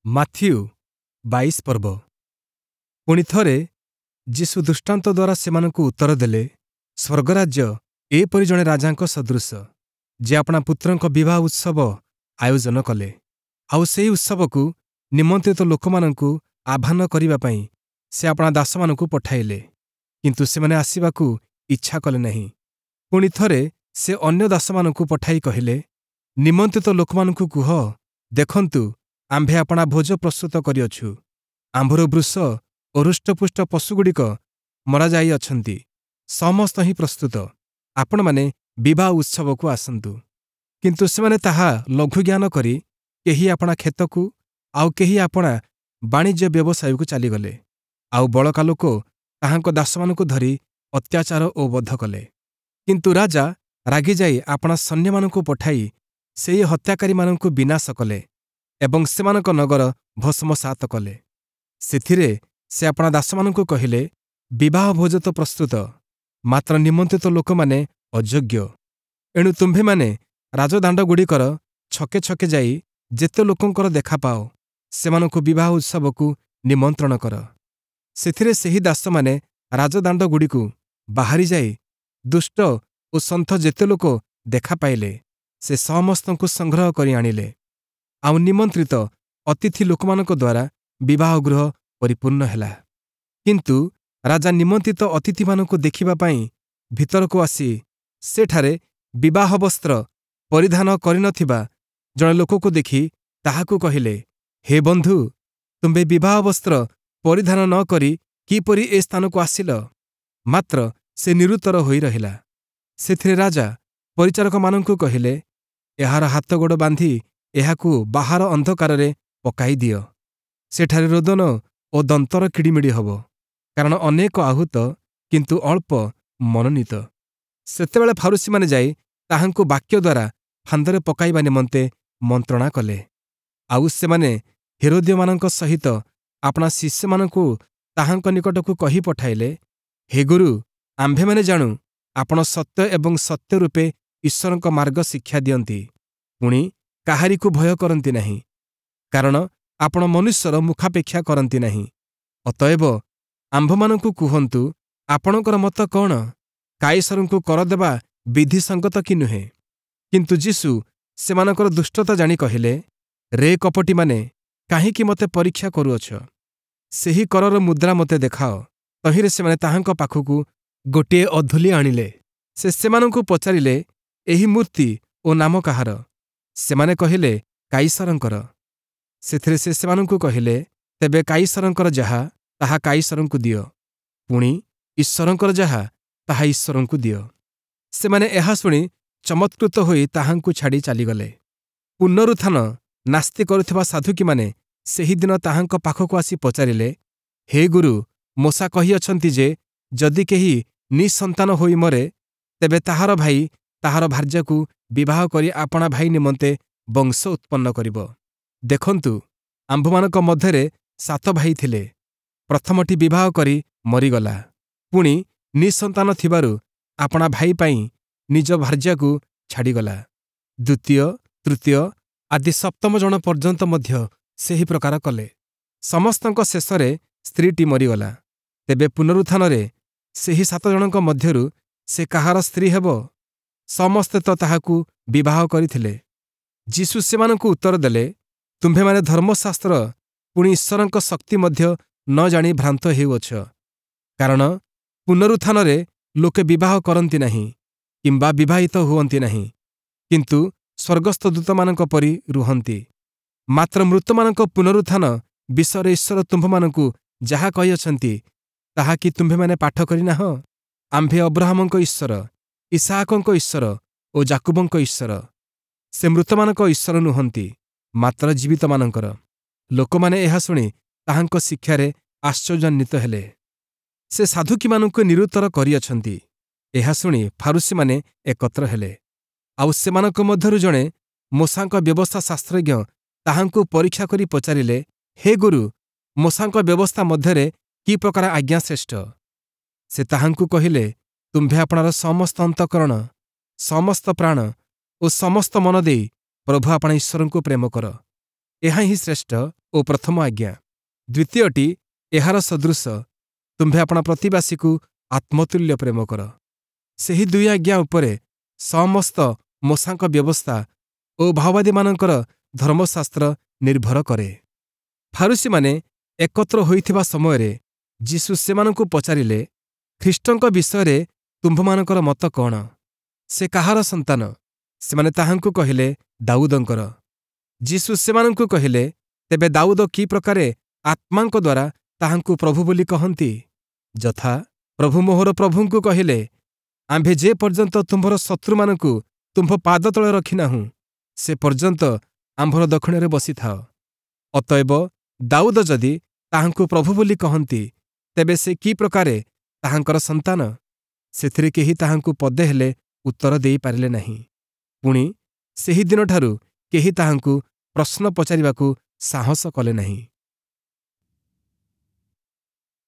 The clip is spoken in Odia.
ମାଥିଉ 22 ପର୍ବ। ପୁଣି ଥରେ ଯୀଶୁ ଦୃଷ୍ଟାନ୍ତ ଦ୍ୱାରା ସେମାନଙ୍କୁ ଉତ୍ତର ଦେଲେ, ସ୍ୱର୍ଗରାଜ୍ୟ ଏପରି ଜଣେ ରାଜାଙ୍କ ସଦୃଶ, ଯେ ଆପଣା ପୁତ୍ରଙ୍କ ବିବାହ ଉତ୍ସବ ଆୟୋଜନ କଲେ। ଆଉ ସେହି ଉତ୍ସବକୁ ନିମନ୍ତ୍ରିତ ଲୋକମାନଙ୍କୁ ଆହ୍ୱାନ କରିବା ପାଇଁ ସେ ଆପଣା ଦାସମାନଙ୍କୁ ପଠାଇଲେ, କିନ୍ତୁ ସେମାନେ ଆସିବାକୁ ଇଚ୍ଛା କଲେ ନାହିଁ। ପୁଣି ଥରେ ସେ ଅନ୍ୟ ଦାସମାନଙ୍କୁ ପଠାଇ କହିଲେ, ନିମନ୍ତ୍ରିତ ଲୋକମାନଙ୍କୁ କୁହ, ଦେଖନ୍ତୁ, ଆମ୍ଭେ ଆପଣା ଭୋଜ ପ୍ରସ୍ତୁତ କରିଅଛୁ, ଆମ୍ଭର ବୃଷ ଓ ହୃଷ୍ଟପୁଷ୍ଟ ପଶୁଗୁଡ଼ିକ ମରାଯାଇଅଛନ୍ତି, ସମସ୍ତ ହିଁ ପ୍ରସ୍ତୁତ, ଆପଣମାନେ ବିବାହ ଉତ୍ସବକୁ ଆସନ୍ତୁ। କିନ୍ତୁ ସେମାନେ ତାହା ଲଘୁଜ୍ଞାନ କରି କେହି ଆପଣା କ୍ଷେତକୁ ଆଉ କେହି ଆପଣା ବାଣିଜ୍ୟ ବ୍ୟବସାୟକୁ ଚାଲିଗଲେ। ଆଉ ବଳକା ଲୋକ ତାହାଙ୍କ ଦାସମାନଙ୍କୁ ଧରି ଅତ୍ୟାଚାର ଓ ବଧ କଲେ। କିନ୍ତୁ ରାଜା ରାଗିଯାଇ ଆପଣା ସୈନ୍ୟମାନଙ୍କୁ ପଠାଇ ସେହି ହତ୍ୟାକାରୀମାନଙ୍କୁ ବିନାଶ କଲେ ଏବଂ ସେମାନଙ୍କ ନଗର ଭସ୍ମସାତ କଲେ। ସେଥିରେ ସେ ଆପଣା ଦାସମାନଙ୍କୁ କହିଲେ, ବିବାହ ଭୋଜ ତ ପ୍ରସ୍ତୁତ, ମାତ୍ର ନିମନ୍ତ୍ରିତ ଲୋକମାନେ ଅଯୋଗ୍ୟ। ଏଣୁ ତୁମ୍ଭେମାନେ ରାଜଦାଣ୍ଡଗୁଡ଼ିକର ଛକେ ଛକେ ଯାଇ ଯେତେ ଲୋକଙ୍କର ଦେଖା ପାଅ, ସେମାନଙ୍କୁ ବିବାହ ଉତ୍ସବକୁ ନିମନ୍ତ୍ରଣ କର। ସେଥିରେ ସେହି ଦାସମାନେ ରାଜଦାଣ୍ଡଗୁଡ଼ିକୁ ବାହାରି ଯାଇ ଦୁଷ୍ଟ ଓ ସନ୍ଥ ଯେତେ ଲୋକ ଦେଖା ପାଇଲେ, ସେ ସମସ୍ତଙ୍କୁ ସଂଗ୍ରହ କରି ଆଣିଲେ। ଆଉ ନିମନ୍ତ୍ରିତ ଅତିଥି ଲୋକମାନଙ୍କ ଦ୍ୱାରା ବିବାହ ଗୃହ ପରିପୂର୍ଣ୍ଣ ହେଲା। କିନ୍ତୁ ରାଜା ନିମନ୍ତ୍ରିତ ଅତିଥିମାନଙ୍କୁ ଦେଖିବା ପାଇଁ ଭିତରକୁ ଆସି ସେଠାରେ ବିବାହ ବସ୍ତ୍ର ପରିଧାନ କରିନଥିବା ଜଣେ ଲୋକକୁ ଦେଖି ତାହାକୁ କହିଲେ, ହେ ବନ୍ଧୁ, ତୁମ୍ଭେ ବିବାହ ବସ୍ତ୍ର ପରିଧାନ ନ କରି କିପରି ଏ ସ୍ଥାନକୁ ଆସିଲ? ମାତ୍ର ସେ ନିରୁତ୍ତର ହୋଇ ରହିଲା। ସେଥିରେ ରାଜା ପରିଚାରକମାନଙ୍କୁ କହିଲେ, ଏହାର ହାତଗୋଡ଼ ବାନ୍ଧି ଏହାକୁ ବାହାର ଅନ୍ଧକାରରେ ପକାଇ ଦିଅ, ସେଠାରେ ରୋଦନ ଓ ଦନ୍ତର କିଡ଼ିମିଡ଼ି ହେବ, କାରଣ ଅନେକ ଆହୁତ, କିନ୍ତୁ ଅଳ୍ପ ମନୋନୀତ। ସେତେବେଳେ ଫାରୁଶୀମାନେ ଯାଇ ତାହାଙ୍କୁ ବାକ୍ୟ ଦ୍ୱାରା ଫାନ୍ଦରେ ପକାଇବା ନିମନ୍ତେ ମନ୍ତ୍ରଣା କଲେ। ଆଉ ସେମାନେ ହେରୋଦୀୟମାନଙ୍କ ସହିତ ଆପଣା ଶିଷ୍ୟମାନଙ୍କୁ ତାହାଙ୍କ ନିକଟକୁ କହି ପଠାଇଲେ, ହେ ଗୁରୁ, ଆମ୍ଭେମାନେ ଜାଣୁ ଆପଣ ସତ୍ୟ ଏବଂ ସତ୍ୟ ରୂପେ ଈଶ୍ୱରଙ୍କ ମାର୍ଗ ଶିକ୍ଷା ଦିଅନ୍ତି, ପୁଣି କାହାରିକୁ ଭୟ କରନ୍ତି ନାହିଁ, କାରଣ ଆପଣ ମନୁଷ୍ୟର ମୁଖାପେକ୍ଷା କରନ୍ତି ନାହିଁ। ଅତଏବ ଆମ୍ଭମାନଙ୍କୁ କୁହନ୍ତୁ, ଆପଣଙ୍କର ମତ କ'ଣ? କାଇସରଙ୍କୁ କର ଦେବା ବିଧିସଙ୍ଗତ କି ନୁହେଁ? କିନ୍ତୁ ଯୀଶୁ ସେମାନଙ୍କର ଦୁଷ୍ଟତା ଜାଣି କହିଲେ, ରେ କପଟୀମାନେ, କାହିଁକି ମୋତେ ପରୀକ୍ଷା କରୁଅଛ? ସେହି କରର ମୁଦ୍ରା ମୋତେ ଦେଖାଅ। ତହିଁରେ ସେମାନେ ତାହାଙ୍କ ପାଖକୁ ଗୋଟିଏ ଅଧୁଲି ଆଣିଲେ। ସେ ସେମାନଙ୍କୁ ପଚାରିଲେ, ଏହି ମୂର୍ତ୍ତି ଓ ନାମ କାହାର? ସେମାନେ କହିଲେ, କାଇସରଙ୍କର। ସେଥିରେ ସେ ସେମାନଙ୍କୁ କହିଲେ, ତେବେ କାଇସରଙ୍କର ଯାହା, ତାହା କାଇସରଙ୍କୁ ଦିଅ, ପୁଣି ଈଶ୍ୱରଙ୍କର ଯାହା, ତାହା ଈଶ୍ୱରଙ୍କୁ ଦିଅ। ସେମାନେ ଏହା ଶୁଣି ଚମତ୍କୃତ ହୋଇ ତାହାଙ୍କୁ ଛାଡ଼ି ଚାଲିଗଲେ। ପୁନରୁତ୍ଥାନ ନାସ୍ତି କରୁଥିବା ସାଧୁକୀମାନେ ସେହିଦିନ ତାହାଙ୍କ ପାଖକୁ ଆସି ପଚାରିଲେ, ହେ ଗୁରୁ, ମୋଶା କହିଅଛନ୍ତି ଯେ ଯଦି କେହି ନିଃସନ୍ତାନ ହୋଇ ମରେ, ତେବେ ତାହାର ଭାଇ ତାହାର ଭାର୍ଯ୍ୟାକୁ ବିବାହ କରି ଆପଣା ଭାଇ ନିମନ୍ତେ ବଂଶ ଉତ୍ପନ୍ନ କରିବ। ଦେଖନ୍ତୁ, ଆମ୍ଭମାନଙ୍କ ମଧ୍ୟରେ 7 ଭାଇ ଥିଲେ। ପ୍ରଥମଟି ବିବାହ କରି ମରିଗଲା, ପୁଣି ନିଃସନ୍ତାନ ଥିବାରୁ ଆପଣା ଭାଇ ପାଇଁ ନିଜ ଭାର୍ଯ୍ୟାକୁ ଛାଡ଼ିଗଲା। ଦ୍ୱିତୀୟ, ତୃତୀୟ ଆଦି ସପ୍ତମ ଜଣ ପର୍ଯ୍ୟନ୍ତ ମଧ୍ୟ ସେହି ପ୍ରକାର କଲେ। ସମସ୍ତଙ୍କ ଶେଷରେ ସ୍ତ୍ରୀଟି ମରିଗଲା। ତେବେ ପୁନରୁତ୍ଥାନରେ ସେହି 7 ଜଣଙ୍କ ମଧ୍ୟରୁ ସେ କାହାର ସ୍ତ୍ରୀ ହେବ? ସମସ୍ତେ ତ ତାହାକୁ ବିବାହ କରିଥିଲେ। ଯୀଶୁ ସେମାନଙ୍କୁ ଉତ୍ତର ଦେଲେ, ତୁମ୍ଭେମାନେ ଧର୍ମଶାସ୍ତ୍ର ପୁଣି ଈଶ୍ୱରଙ୍କ ଶକ୍ତି ମଧ୍ୟ ନ ଜାଣି ଭ୍ରାନ୍ତ ହେଉଅଛ। କାରଣ ପୁନରୁତ୍ଥାନରେ ଲୋକେ ବିବାହ କରନ୍ତି ନାହିଁ କିମ୍ବା ବିବାହିତ ହୁଅନ୍ତି ନାହିଁ, କିନ୍ତୁ ସ୍ୱର୍ଗସ୍ଥ ଦୂତମାନଙ୍କ ପରି ରୁହନ୍ତି। ମାତ୍ର ମୃତମାନଙ୍କ ପୁନରୁତ୍ଥାନ ବିଷୟରେ ଈଶ୍ୱର ତୁମ୍ଭମାନଙ୍କୁ ଯାହା କହିଅଛନ୍ତି, ତାହା କି ତୁମ୍ଭେମାନେ ପାଠ କରିନାହଁ? ଆମ୍ଭେ ଅବ୍ରାହମଙ୍କ ଈଶ୍ୱର, ଇସାହାକଙ୍କ ଈଶ୍ୱର ଓ ଯାକୁବଙ୍କ ଈଶ୍ୱର। ସେ ମୃତମାନଙ୍କ ଈଶ୍ୱର ନୁହନ୍ତି, ମାତ୍ର ଜୀବିତମାନଙ୍କର। ଲୋକମାନେ ଏହା ଶୁଣି ତାହାଙ୍କ ଶିକ୍ଷାରେ ଆଶ୍ଚର୍ଯ୍ୟାନ୍ୱିତ ହେଲେ। ସେ ସାଧୁକୀମାନଙ୍କୁ ନିରୁତ୍ତର କରିଅଛନ୍ତି। ଏହା ଶୁଣି ଫାରୁଶୀମାନେ ଏକତ୍ର ହେଲେ। ଆଉ ସେମାନଙ୍କ ମଧ୍ୟରୁ ଜଣେ ମୋଶାଙ୍କ ବ୍ୟବସ୍ଥା ଶାସ୍ତ୍ରଜ୍ଞ ତାହାଙ୍କୁ ପରୀକ୍ଷା କରି ପଚାରିଲେ, ହେ ଗୁରୁ, ମୋଶାଙ୍କ ବ୍ୟବସ୍ଥା ମଧ୍ୟରେ କି ପ୍ରକାର ଆଜ୍ଞା ଶ୍ରେଷ୍ଠ? ସେ ତାହାଙ୍କୁ କହିଲେ, ତୁମ୍ଭେ ଆପଣାର ସମସ୍ତ ଅନ୍ତଃକରଣ, ସମସ୍ତ ପ୍ରାଣ ଓ ସମସ୍ତ ମନ ଦେଇ ପ୍ରଭୁ ଆପଣା ଈଶ୍ୱରଙ୍କୁ ପ୍ରେମ କର। ଏହା ହିଁ ଶ୍ରେଷ୍ଠ ଓ ପ୍ରଥମ ଆଜ୍ଞା। ଦ୍ୱିତୀୟଟି ଏହାର ସଦୃଶ, ତୁମ୍ଭେ ଆପଣା ପ୍ରତିବାସୀକୁ ଆତ୍ମତୁଲ୍ୟ ପ୍ରେମ କର। ସେହି ଦୁଇ ଆଜ୍ଞା ଉପରେ ସମସ୍ତ ମୋଶାଙ୍କ ବ୍ୟବସ୍ଥା ଓ ଭାଓବାଦୀମାନଙ୍କର ଧର୍ମଶାସ୍ତ୍ର ନିର୍ଭର କରେ। ଫାରୂଶୀମାନେ ଏକତ୍ର ହୋଇଥିବା ସମୟରେ ଯୀଶୁ ସେମାନଙ୍କୁ ପଚାରିଲେ, ଖ୍ରୀଷ୍ଟଙ୍କ ବିଷୟରେ ତୁମ୍ଭମାନଙ୍କର ମତ କଅଣ? ସେ କାହାର ସନ୍ତାନ? ସେମାନେ ତାହାଙ୍କୁ କହିଲେ, ଦାଉଦଙ୍କର। ଯୀଶୁ ସେମାନଙ୍କୁ କହିଲେ, ତେବେ ଦାଉଦ କି ପ୍ରକାରେ ଆତ୍ମାଙ୍କ ଦ୍ୱାରା ତାହାଙ୍କୁ ପ୍ରଭୁ ବୋଲି କହନ୍ତି? ଯଥା, ପ୍ରଭୁ ମୋହର ପ୍ରଭୁଙ୍କୁ କହିଲେ, ଆମ୍ଭେ ଯେ ପର୍ଯ୍ୟନ୍ତ ତୁମ୍ଭର ଶତ୍ରୁମାନଙ୍କୁ ତୁମ୍ଭ ପାଦ ତଳେ ରଖିନାହୁଁ, ସେ ପର୍ଯ୍ୟନ୍ତ ଆମ୍ଭର ଦକ୍ଷିଣରେ ବସିଥାଅ। ଅତଏବ ଦାଉଦ ଯଦି ତାହାଙ୍କୁ ପ୍ରଭୁ ବୋଲି କହନ୍ତି, ତେବେ ସେ କି ପ୍ରକାରେ ତାହାଙ୍କର ସନ୍ତାନ? ସେଥିରେ କେହି ତାହାଙ୍କୁ ପଦେ ହେଲେ ଉତ୍ତର ଦେଇପାରିଲେ ନାହିଁ। ପୁଣି ସେହି ଦିନଠାରୁ କେହି ତାହାଙ୍କୁ ପ୍ରଶ୍ନ ପଚାରିବାକୁ ସାହସ କଲେ ନାହିଁ।